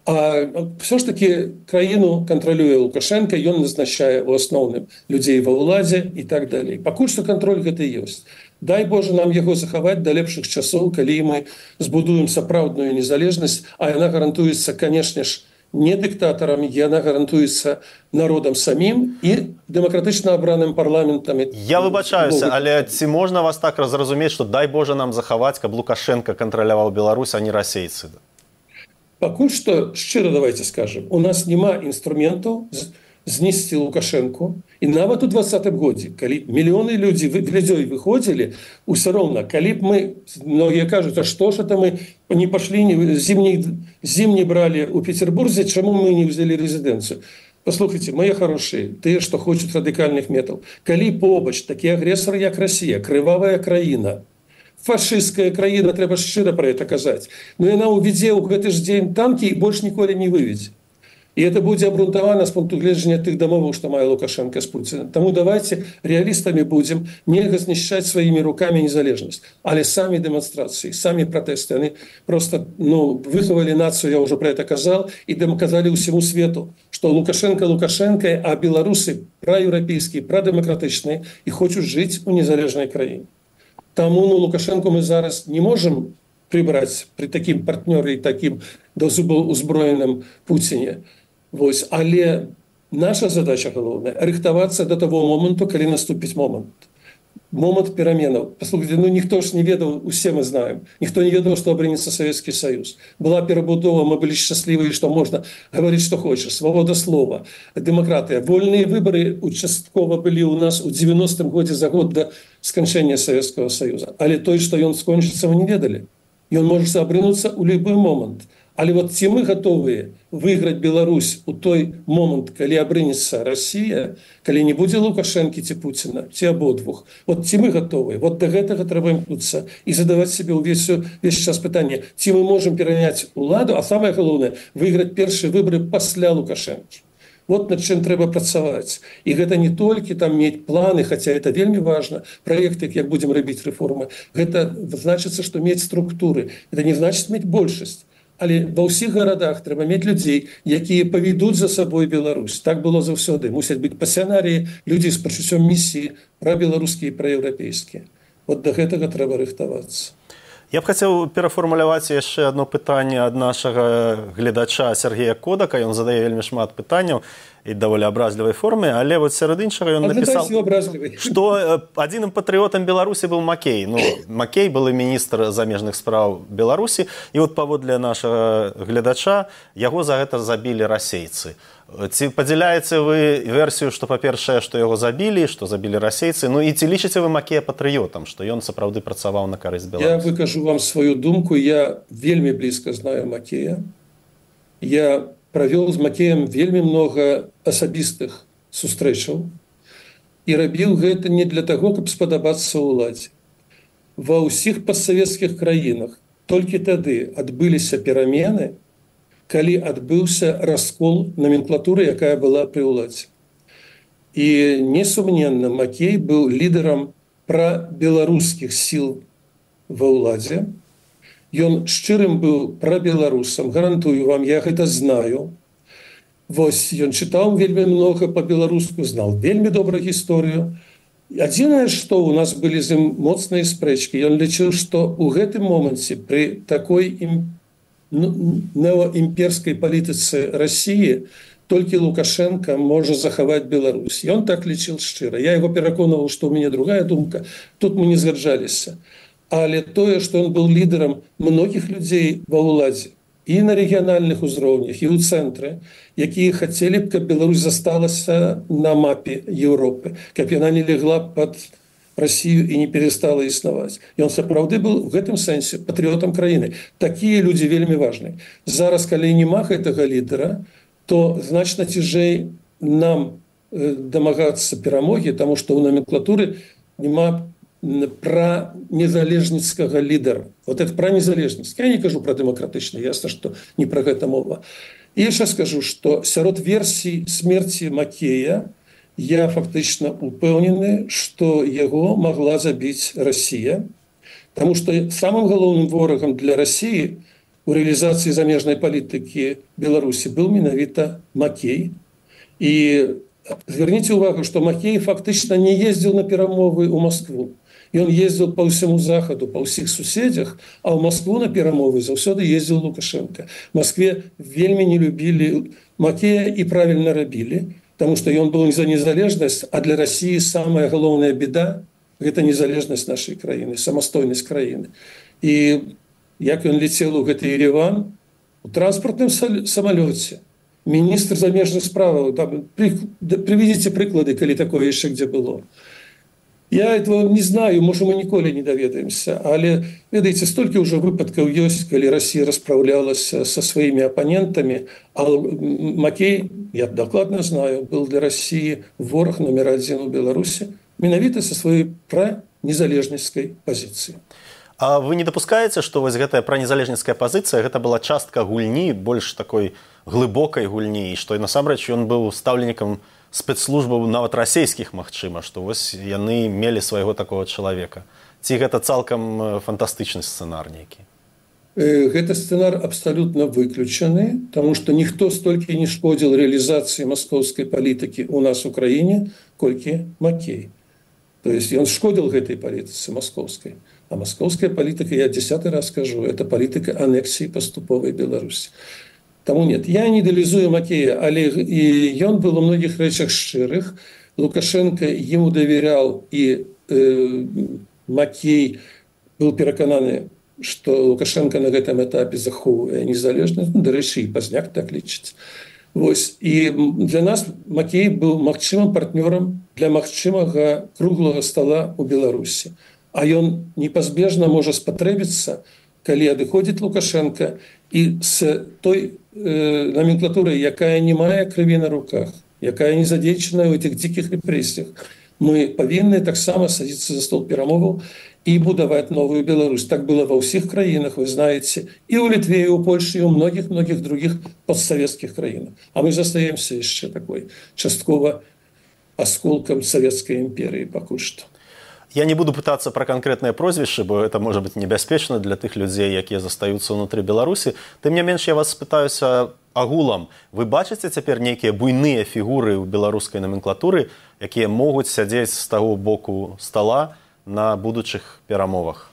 А все ж таки краіну контролюе Лукашенко, ён назначае у асноўным людзей ва ўладзе і так далей. Пакуль што кантроль гэты ёсць. Дай Боже нам яго захаваць да лепшых часоў, калі мы збудуем сапраўдную незалежнасць, а яна гарантуецца, канешне ж, не дыктатарам, яна гарантуецца народам самім і дэмакратычна абраным парламентам. Я выбачаюся, але ці можна вас так разразумець, што дай Боже нам захаваць, каб Лукашенко кантраляваў Беларусь, а не расейцы? Пакуль што, шчыра давайте скажем, у нас няма інструментаў знесці Лукашенко. І нават у 2020 годзе, калі мільёны людзей выходзілі, усё роўна, калі б мы, многія кажуць, а што ж это мы не пашлі, зім не бралі ў Петербурзе, чаму мы не ўзялі рэзідэнцыю? Послухайте, мои хорошие, те, что хочуць радыкальных метаў, калі побач такі агрэсар, як Россия, крывавая краіна, фашистская краіна, трэба шчыра про это казаць, но яна увядзе ў гэты ж дзень танкі і больш ніколі не выведзе. И это будет обґрунтовано с пункту гледжання тых домоваў, што мае Лукашенко с Путиным. Тому давайте реалистами будем, нельга знішчаць своими руками незалежность. Але сами демонстрации, сами протесты, они просто выховали нацию, я уже про это казал, и доказали всему свету, что Лукашенко, а белорусы проевропейские, продемократичные и хочут жить у незалежной краине. Тому Лукашенко мы зараз не можем прибрать при таким партнёре и таким до зубов узброенным Путине. Вось. Але наша задача галоўная рыхтавацца до того моменту, калі наступіць момент пераменаў. Послухайте, ніхто ж не ведаў, усе мы знаем, ніхто не ведаў, што абрынецца Советский Союз. Была перабудова, мы былі шчаслівыя, што можна гаварыць, што хочаш, свабода слова, дэмакратыя. Вольныя выбары участкова былі ў нас у 90-м годзе за год до сканчэння Советского Союза. Але той, што ён скончыцца, мы не ведалі. Ён можа абрынуцца ў любы момент. Але вот ці мы готовыя выйграць Беларусь у той момент, калі абрынецца Россия, калі не будзе Лукашэнкі ці Путіна, ці абодвух. Вот ці мы готовыя? Вот до гэтага трэба імкнуцца і задаваць себе увесь час пытанне, ці мы можем пераняць уладу, а самае галоўнае выйграць першыя выборы пасля Лукашэнкі. Вот над чым трэба працаваць. І гэта не толькі там мець планы, хотя это вельмі важна, проекты, як будем рабіць рэформы. Гэта значыцца, што мець структуры. Это не значыць мець большасць. Але ва ўсіх гарадах трэба мець людзей, якія павядуць за сабой Беларусь. Так было заўсёды. Мусяць быць пасіянарыі, людзі з пачуццём місіі, прабеларускія і праеўрапейскія. Вот да гэтага трэба рыхтавацца. Я б хацеў перафармуляваць яшчэ одно пытанне ад нашага гледача Сергея Кодака. Ён задае вельмі шмат пытанняў і даволі абразлівай форме, але вот сярод іншага ён напісаў, што адзіным патрыётам Беларусі быў Макей. Макей былы міністр замежных спраў Беларусі, і вот паводле нашага гледача яго за гэта забілі расейцы. Ці падзяляеце вы версію, што па-першае, што яго забілі, што забілі расейцы, і ці лічыце вы Макея патрыётам, што ён сапраўды працаваў на карысць Беларусі? Я выкажу вам сваю думку, я вельмі блізка знаю Макея. Я правёл з Макеем вельмі много асабістых сустрэчаў і рабіў гэта не для таго, каб спадабацца ўладзе. Ва ўсіх постсавецкіх краінах толькі тады адбыліся перамены, калі адбыўся раскол номенклатуры, якая была пры ўладзе. І несумненна, Макей быў лідарам прабеларускіх сіл ва ўладзе. Ён шчырым быў прабеларусам, гарантую вам, я гэта знаю. Вось, ён чытаў вельмі много па-беларуску, знал вельмі добра гісторыю. Адзінае, што ў нас былі з ім моцныя спрэчкі, ён лічыў, што ў гэтым моменце пры такой неоімперскай палітыцы России толькі Лукашенко можа захаваць Беларусь. Ён так лічыў шчыра. Я яго пераконваў, што ў мяне другая думка. Тут мы не згаджаліся. Але тое, што ён быў лідарам многіх людзей ва ўладзе і на рэгіянальных узроўнях, і ў цэнтры, якія хацелі б, каб Беларусь засталася на мапе Еўропы, каб яна не легла пад Россию і не перестала існаваць. Ён сапраўды быў у гэтым сэнсе патрыётам краіны. Такія людзі вельмі важныя. Зараз, калі няма гэтага лідара, то значна цяжэй нам дамагацца перамогі, таму што ў номенклатуры няма пра незалежніцкага лідара. Вот это пра незалежнасць. Я не кажу пра дэмакратычны, ясна, што не пра гэта мова. І яшчэ скажу, што сярод версій смерці Макея я фактычна упэўнены, што яго магла забіць Россия, таму што самым галоўным ворагам для России у рэалізацыі замежнай палітыкі Беларусі быў менавіта Макей. І зверніце ўвагу, што Макей фактычна не ездзіў на перамовы ў Москву. Ён ездзіў па ўсяму захаду, па ўсіх суседзях, а ў Москву на перамовы заўсёды ездзіў Лукашенко. В Москве вельмі не любілі Макея і правільна рабілі, таму што ён быў за незалежнасць, а для России самая галоўная беда – гэта незалежнасць нашай краіны, самастойнасць краіны. І як ён летел у гэты Ереван, у транспортным самалёце, міністр замежных справаў, приведите прыклады, калі такое яшчэ где было. Я этого не знаю, может, мы ніколі не даведаемся, але ведаеце, столькі ўжо выпадкаў ёсць, калі Россия расправлялася со своими оппонентами, а Макей, я докладно знаю, был для России ворог номер один у Беларуси, менавіта со своей пранезалежніцкай позиции. А вы не допускаете, что вось гэтая пранезалежніцкая позиция, гэта была частка гульні, больш такой глыбокай гульні, і што насамрэч ён быў стаўленнікам спецслужбаў нават расійскіх, магчыма, што вось яны мелі свайго такого чалавека. Ці гэта цалкам фантастычны сцэнар нейкі? Гэты сцэнар абсалютна выключаны, таму што ніхто столькі не шкодзіл рэалізацыі маскоўскай палітыкі ў нас у краіне, колькі Макей. То есть ён шкодзіл гэтай палітыцы маскоўскай. А маскоўская палітыка, я 10 раз скажу, это палітыка анексіі паступовай Беларусі. Таму нет, я не ідэалізую Макея, але і ён был у многіх рэчах шчырых. Лукашенко ему давяряў, і Макей был перакананы, што Лукашенко на гэтым этапе захоўвае незалежнасць, дарэчы, і Пазняк так лічыць. Вось. І для нас Макей быў магчымым партнёрам для магчымага круглага стола ў Беларусі. А ён непазбежна можа спатрэбіцца, калі адыходзіць Лукашенко, і з той номенклатурай, якая не мае крыві на руках, якая не задзейчана ў этих дзікіх рэпрэсіях, мы павінны таксама садзіцца за стол перамоваў і будаваць новую Беларусь. Так было ва ўсіх краінах, вы знаеце, і ў Літве, і ў Польшы, і ў многіх других постсавецкіх краінах. А мы застаемся яшчэ такой часткова асколкам Савецкай імперыі пакуль што. Я не буду пытаться про конкретное прозвище, бо это может быть небяспечна для тых людзей, якія застаюцца ўнутры Беларусі. Тым не менш, я вас спытаюся агулам. Вы бачыце цяпер нейкія буйныя фігуры ў беларускай номенклатуры, якія могуць сядзець з таго боку стола на будучых перамовах?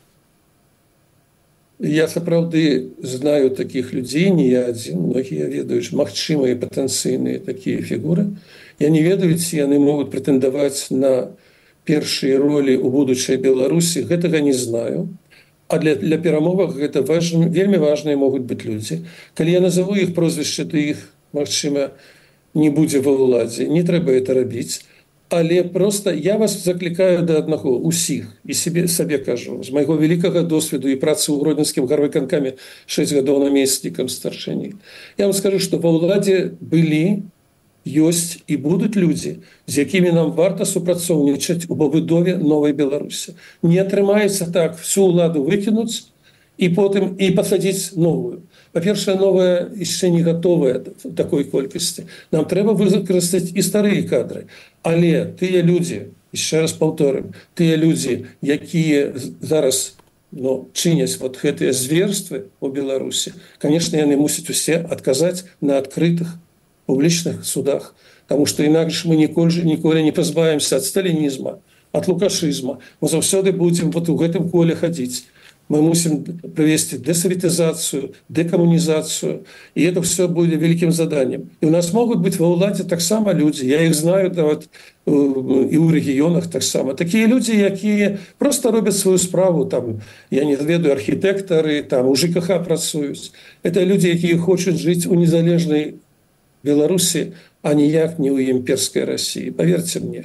Я сапраўды знаю такіх людзей, не я адзін, многія ведаюць магчымыя патэнцыйныя такія фігуры. Я не ведаю, ці яны могуць прэтэндаваць на першыя ролі ў будучай Беларусі, гэтага не знаю. А для перамовах гэта вельмі важныя могуць быць людзі. Калі я назову іх прозвішча, то іх, магчыма, не будзе ва ўладзе. Не трэба это рабіць. Але просто я вас заклікаю да аднаго, усіх, і сабе кажу, з майго вялікага досведу і працы ў гродзенскім гарвыканкаме 6 гадоў намеснікам старшыні. Я вам скажу, што ва ўладзе былі, ёсць і будуць людзі, з якімі нам варта супрацоўнічаць у пабудове новай Беларусі. Не атрымаецца так всю ўладу выкінуць і потым і пасадзіць новую. Па-першае, новая яшчэ не гатовая в такой колькасці. Нам трэба выкарыстаць і старыя кадры. Але тыя людзі, яшчэ раз паўторым, тыя людзі, якія зараз чыняць вот гэтыя зверствы ў Беларусі, конечно, яны мусяць усе адказаць на адкрытых публічных судах, потому что інакш мы ніколі не пазбавімся ад сталінізма, ад лукашызма. Мы заўсёды будзем вот у гэтым коле хадзіць. Мы мусим провести десоветизацию, декоммунизацию, и это все будет великим заданием. И у нас могут быть во ўладзе таксама люди, я их знаю вот, и у регионах таксама. Такие люди, якія просто робят свою справу, там, я не ведаю, архитекторы, там, у ЖКХ працуюць. Это люди, якія хочуць жить у незалежной Беларусі, а ніяк не ў імперской России, поверьте мне.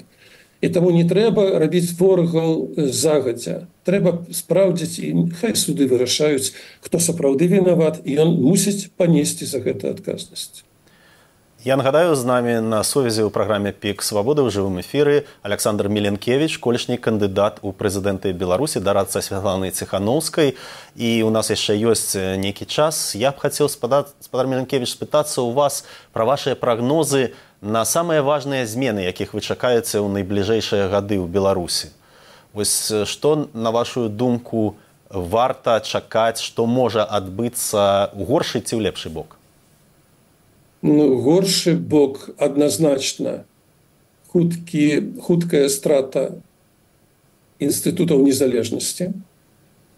І таму не трэба рабіць ворагаў загадзя. Трэба спраўдзіць, і хай суды вырашаюць, хто сапраўды вінават, і ён мусіць панесці за гэта адказнасць. Я нагадаю, з намі на сувязі ў праграме «Пік Свабоды» ў жывым эфіры Александр Міленкевіч, колішні кандыдат у прэзідэнты Беларусі, дарадца Святланы Ціханаўскай. І у нас яшчэ ёсць нейкі час. Я б хацеў, спадар Міленкевіч, спытацца ў вас пра вашыя прагнозы на самыя важныя змены, якіх вы чакаеце ў найбліжэйшыя гады ў Беларусі. Вось што, на вашу думку, варта чакаць, што можа адбыцца ў горшы ці ў лепшы бок? Горшы бок адназначна хуткая страта інстытутаў незалежнасці.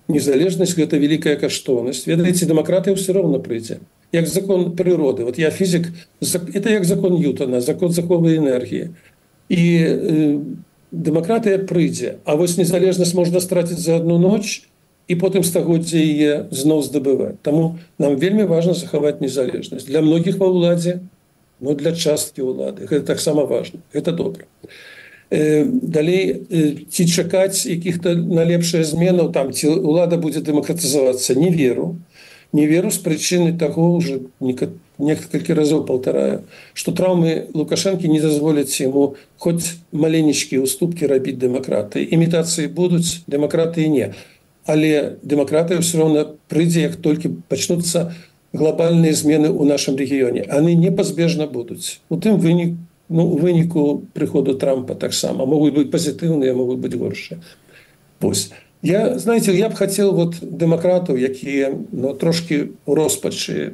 Незалежнасць – гэта вялікая каштоўнасць. Ведаеце, дэмакратыя ўсё роўна прыйдзе. Як закон прыроды. Вот я фізік, это як закон Ньютона, закон заховай энергіі. І дэмакратыя прыйдзе. А вось незалежнасць можна страціць за одну ноч, і потым стагоддзя яе зноў здабываць. Таму нам вельмі важна захаваць незалежнасць. Для многіх ва ўладзе, но для часткі ўлады. Гэта таксама важна. Гэта добра. Далей ці чакаць якіх-то на лепшае зменаў, там ці ўлада будзе дэмакратызавацца, не веру з прычыны таго, уже некалькі разоў паўтараю, што траўмы Лукашэнкі не дазволяць яму хоць маленечкія ўступкі рабіць дэмакратыі. Імітацыі будуць, дэмакратыі не. Але дэмакратыя ўсё роўна прыйдзе, як толькі пачнуцца глобальныя змены ў нашым рэгіёне. Яны непазбежна будуць. У тым выніку прыходу Трампа таксама. Могуць быць пазітыўныя, могуць быць горшыя. Вось. Я б хацеў дэмакратаў, якія трошкі ў роспачы,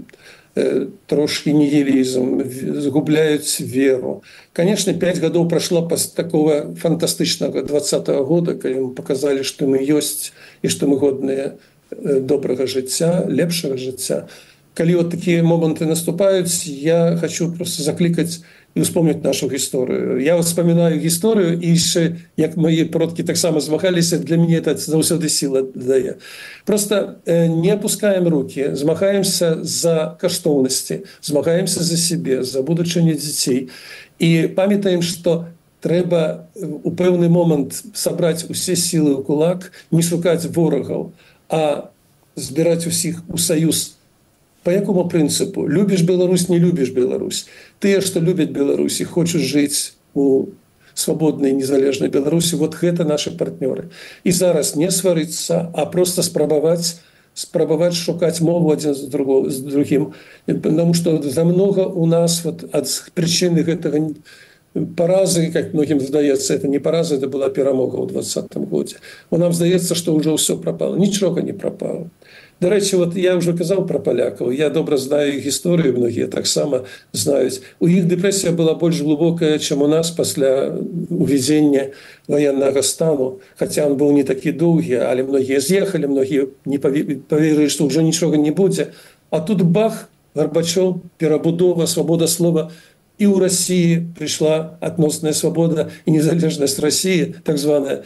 трошки нигилизм, згубляюць веру. Конечно, 5 гадоў прайшло пасля такого фантастычнага 20-го года, калі мы показали, што мы ёсць і што мы годныя добрага жыцця, лепшага жыцця. Калі вот такія моманты наступаюць, я хочу просто заклікаць і успомніць нашу гісторыю. Я вспоминаю гісторыю, і яшчэ, як мои продкі таксама змагаліся, для мяне это заўсёды сіла дае. Просто не опускаем руки, змагаемся за каштоўнасці, змагаемся за себе, за будучыню дзяцей. І памятаем, што трэба у пэўны момант сабраць усе сілы ў кулак, не шукаць ворагаў, а збіраць усіх у саюз. По якому прынцыпу? Любіш Беларусь, не любіш Беларусь. Тыя, што любяць Беларусь і хочуць жыць у свабоднай, незалежнай Беларусі, вот гэта наши партнёры. І зараз не сварыцца, а просто спрабаваць шукаць мову адзін з другім. Потому что за много у нас ад прычыны гэтага паразы, как многім здаецца, это не параза, это была перамога ў 2020 годзе. Нам здаецца, што ўжо ўсё прапало. Нічога не прапало. До речі, я вже казав про поляків, я добре знаю їх історію, многі так само знають. У їх депресія була більш глибока, ніж у нас після уведення воєнного стану. Хоча він був не такий довгий, але многі з'їхали, многі не повірили, що вже нічого не буде. А тут бах, Горбачов, перебудова, свобода слова. І у Росії прийшла відносна свобода і незалежність Росії, так звана.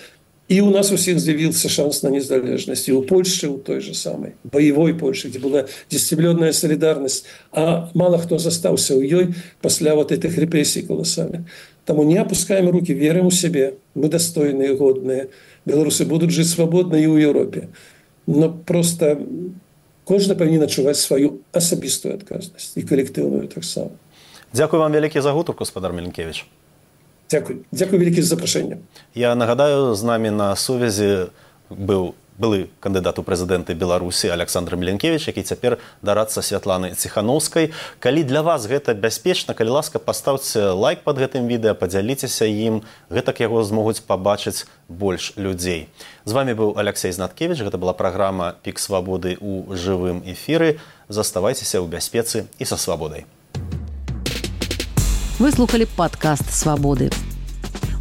И у нас у всех з'явился шанс на незалежность. И у Польши, у той же самой, боевой Польши, где была дисциплинарная солидарность. А мало кто застался у ёй после вот этих репрессий колоссальных. Тому не опускаем руки, верим у себе. Мы достойные, годные. Белорусы будут жить свободно и в Европе. Но просто кожен повинен адчуваць свою асабістую адказнасць і калектыўную таксама. Дзякуй вам вялікі за гутарку, гаспадар Міленкевіч. Дякую велике за запрошення. Я нагадаю, з нами на сувязі былы кандыдат у прэзідэнты Беларусі Александр Міленкевіч, які цяпер дарадца Святланы Ціханаўскай. Калі для вас гэта бяспечна, калі ласка, паставце лайк пад гэтым відэа, падзяліцеся ім, гэтак яго змогуць пабачыць больш людзей. З вами быў Алексей Знаткевіч, гэта была праграма «Пік свабоды» у жывым эфіры. Заставайцеся ў бяспецы і са свабодай. Вы слухали падкаст «Свабоды».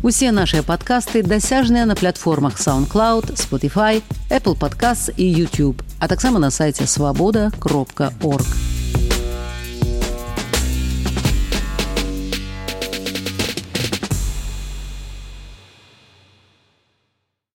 Усе нашыя падкасты дасяжныя на платформах SoundCloud, Spotify, Apple Podcasts і YouTube, а таксама на сайце swaboda.org.